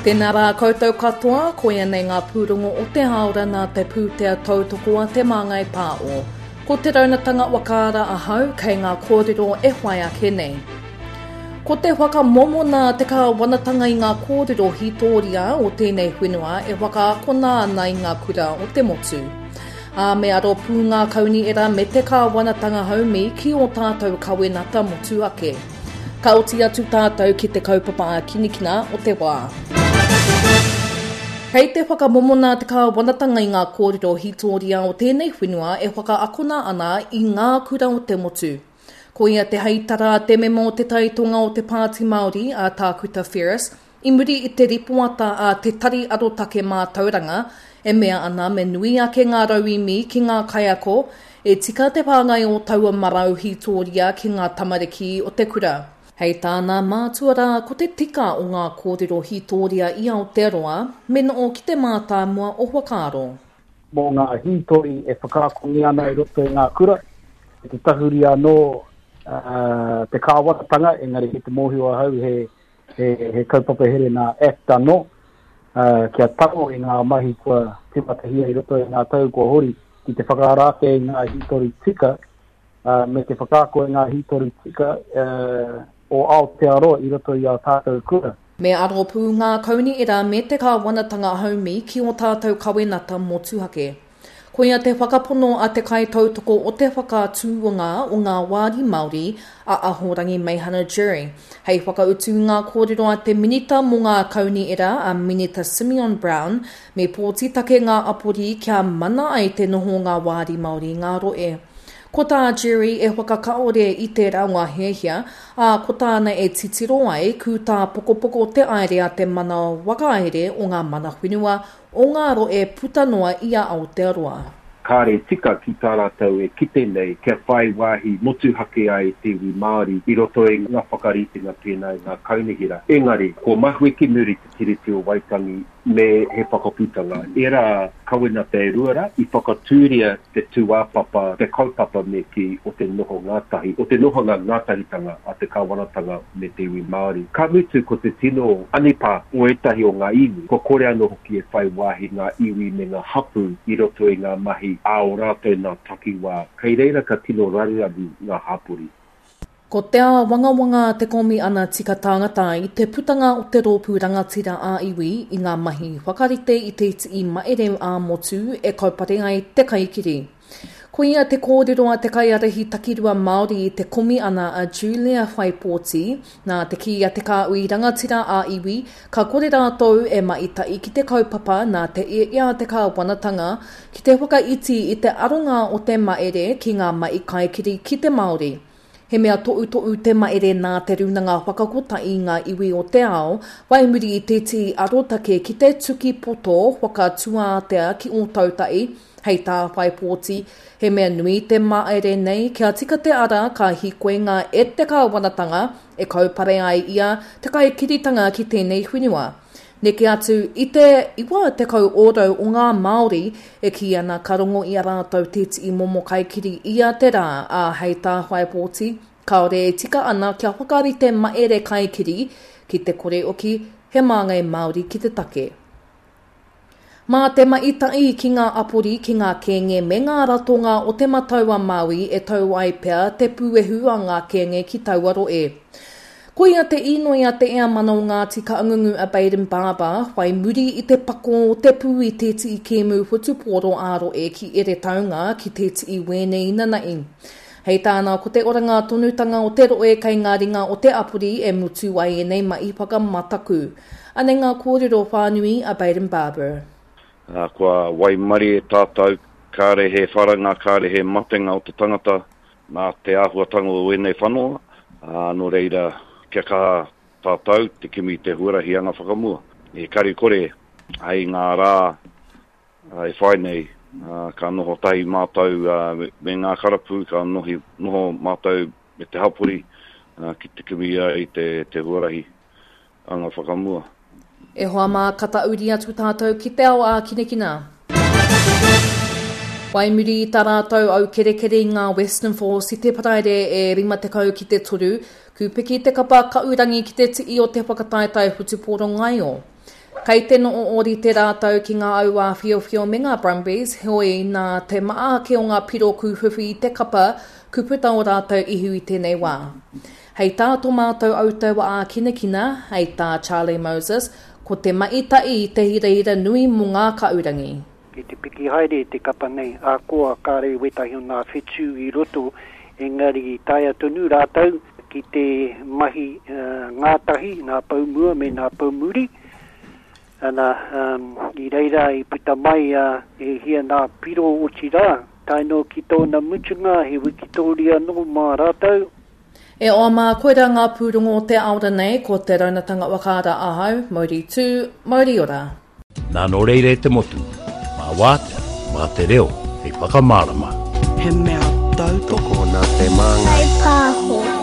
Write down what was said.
Tēnā rā koutou katoa, koia nei ngā pūrongo o te hāora nā te pūtea tautoko a Te Māngai Pāo. Ko Te Raunatanga Wakaara ahau kei ngā kōrero e whai ake nei. Ko te whakamomona a te kāwanatanga i ngā kōrero hītōria o tēnei whenua e whakaakona ana i ngā kura o te motu. Ā, me aro pū ngā kaunihera me te kāwanatanga haumi ki ō tātou kawenata motu ake. Ka oti atu tātou ki te kaupapa ākinikina o te wā. Kei te whakamomona te kāwanatanga i ngā kōrero hītōria o tēnei whenua e whakaakona ana i ngā kura o te motu. Ko ia te heitara a te mema o te Tai Tonga o te Pāti Māori, a Tākuta Ferris, i muri i te ripoata a Te Tari Arotake Mātauranga e mea ana me nui ake ngā rauemi ki ngā kaiako e tika te whāngai o taua marau hītōria ki ngā tamariki o te kura. Hei tāna, mātua rā ko te tika o ngā kōrero hītōria i Aotearoa me noho ki te mātāmua o whakaaro. mō ngā hītori e whakaakongia ana i roto i ngā kura, me te tahuri anō te kāwanatanga, engari kei te mōhio ahau he, he, he kaupapa here nā Act anō, kia tango i ngā mahi kua tīmatahia i roto i ngā tau kua hori ki te whakaara ake i ngā hītori tika, me te whakaako i ngā hītori tika o Aotearoa i roto i ā tātou kura. Me aro pū ngā kaunihera me te kāwanatanga haumi ki ō tātou kawenata motuhake. Koia te whakapono a te kaitautoko o te whakatūnga o ngā wāri Māori, a Ahorangi Meihana Jury, hei whakautu i ngā kōrero a te Minita mō ngā Kaunihera, a Minita Simeon Brown, me pōti take ngā apori kia mana ai te noho o ngā wāri Māori i ngā rohe. Ko tā Jerry e whakakaore i tērā o ngā hiahia, ā, ko tāna e titiro ai, kūtāpokopoko te aere a te mana whakahaere o ngā mana whenua o ngā rohe puta noa i a Aotearoa. Kāre tika ki tā rātou e kite nei kia whai wāhi motuhake ai te iwi Māori i roto i ngā whakaritenga pēnā i ngā kaunihera. Engari, kua mahue ki muri te Tiriti o Waitangi me he whakaputanga. Ērā kawenata e rua rā, i whakatūria te tūāpapa, te kaupapa me kī, o te noho ngātahi, o te nohanga ngātahitanga a te kāwanatanga me te iwi Māori. Ka mutu ko te tino anipā o ētahi o ngā iwi, kua kore anō hoki e whai wāhi ngā iwi me ngā hapū i roto i ngā mahi a ō rātou nā takiwā, kei reira ka tino raruraru ngā hapori. Ko te āwangawanga a te Komi ana Tika Tāngata i te putanga o te Rōpū Rangatira ā-Iwi i ngā mahi whakarite i te tii maereu ā-motu e kaupare ai te kaikiri. Koia te kōrero a te kaiārahi takirua Māori i te Komi ana a Julia Whaipōti, nā te kī a te kāhui rangatira ā-iwi ka kore rātou e maita'i ki te kaupapa nā te ia a te kāwanatanga ki te whakaiti i te aronga o te maere ki ngā mahi kaikiri ki te Māori. He mea toʻutoʻu te maere nā Te Rūnanga Whakakotahi i ngā Iwi o te Ao, whai muri i te tī arotake ki te tuki poto whakatuātea ki Ōtautahi, hei tā Whaipōti, he mea nui te maere nei kia tika te ara ka hīkoinga e te kāwanatanga e kaupare ai ia te kaikiritanga ki tēnei whenua. Neke atu i te 90 ōrau o ngā Māori e kī ana ka rongo i a rātou tētehi momo kaikiri ia te rā, ā, hei tā Whaipōti, kāore e tika ana kia whakarite maere kaikiri ki te kore oki he māngai Māori ki te take. Mā te maita'i ki ngā apori, ki ngā kēnge me ngā ratonga o Te Matau-a-Māui e tau ai pea te pūehu a ngā kēnge ki taua rohe. Koia te īnoi a te Eamana o Ngāti Kaangungu a Bayden Barber, whai muri i te pako o te pū i tētehi kēmu whutupōro ā-rohe ki Eretaunga ki tētehi wēne inanahi. Hei tāna ko te oranga tonutanga o te rohe kei ngā ringa o te apori e mutu ai ēnei mahi whakamataku. Anei ngā kōrero whānui a Bayden Barber. Ā, kua waimarie tātou, kāre he wharanga, kāre he matenga o te tangata Nā te āhuatanga o ēnei whanoa, ā, nō reira, kia kaha tātou te kimi i te huarahi anga whakamua. E kare kore, hei ngā rā e whai nei, ka noho tahi mātou me ngā karapu, ka noho mātou me te hapori ki te kimi i te huarahi anga whakamua. E hoa mā, ka tauri atu tātou ki te ao ākinakina. Whai muri i tā rātou aukerekere i ngā Western Force i te Paraire e 50 ki te toru, kūpiki te kapa kaurangi ki te ti'i o te whakataetae whutupōro ngaio. Kei te noho ōrite rātou ki ngā auāwhiowhio me ngā Brumbies, heoi nā te maha ake o ngā piro kūwhiwhi i te kapa, ku puta ō rātou ihu i tēnei wā. Hei tā tō mātou autaua ākinakina, hei tā Charlie Moses, ko te mahi tahi te hirahira nui mō ngā kaurangi. Kei te piki haere te kapa nei, ahakoa kāre wētahi o nā whetū i roto, engari i taea tonu rātou ki te mahi ngātahi, nā pou mua me nā pou muri. Ana, i reira i puta mai e hia nā piro otirā, tae noa ki tōna mutunga he wikitōria anō mā rātou. E hoa mā, koirā ngā pūrongo o te aora nei, ko te Raunatanga Whakaara ahau, mauri tū, mauri ora. Nā nō reira e te motu, mā wātea, mā te reo hei whakamārama. He mea tautoko. Tokona te māngai. Whai pāho.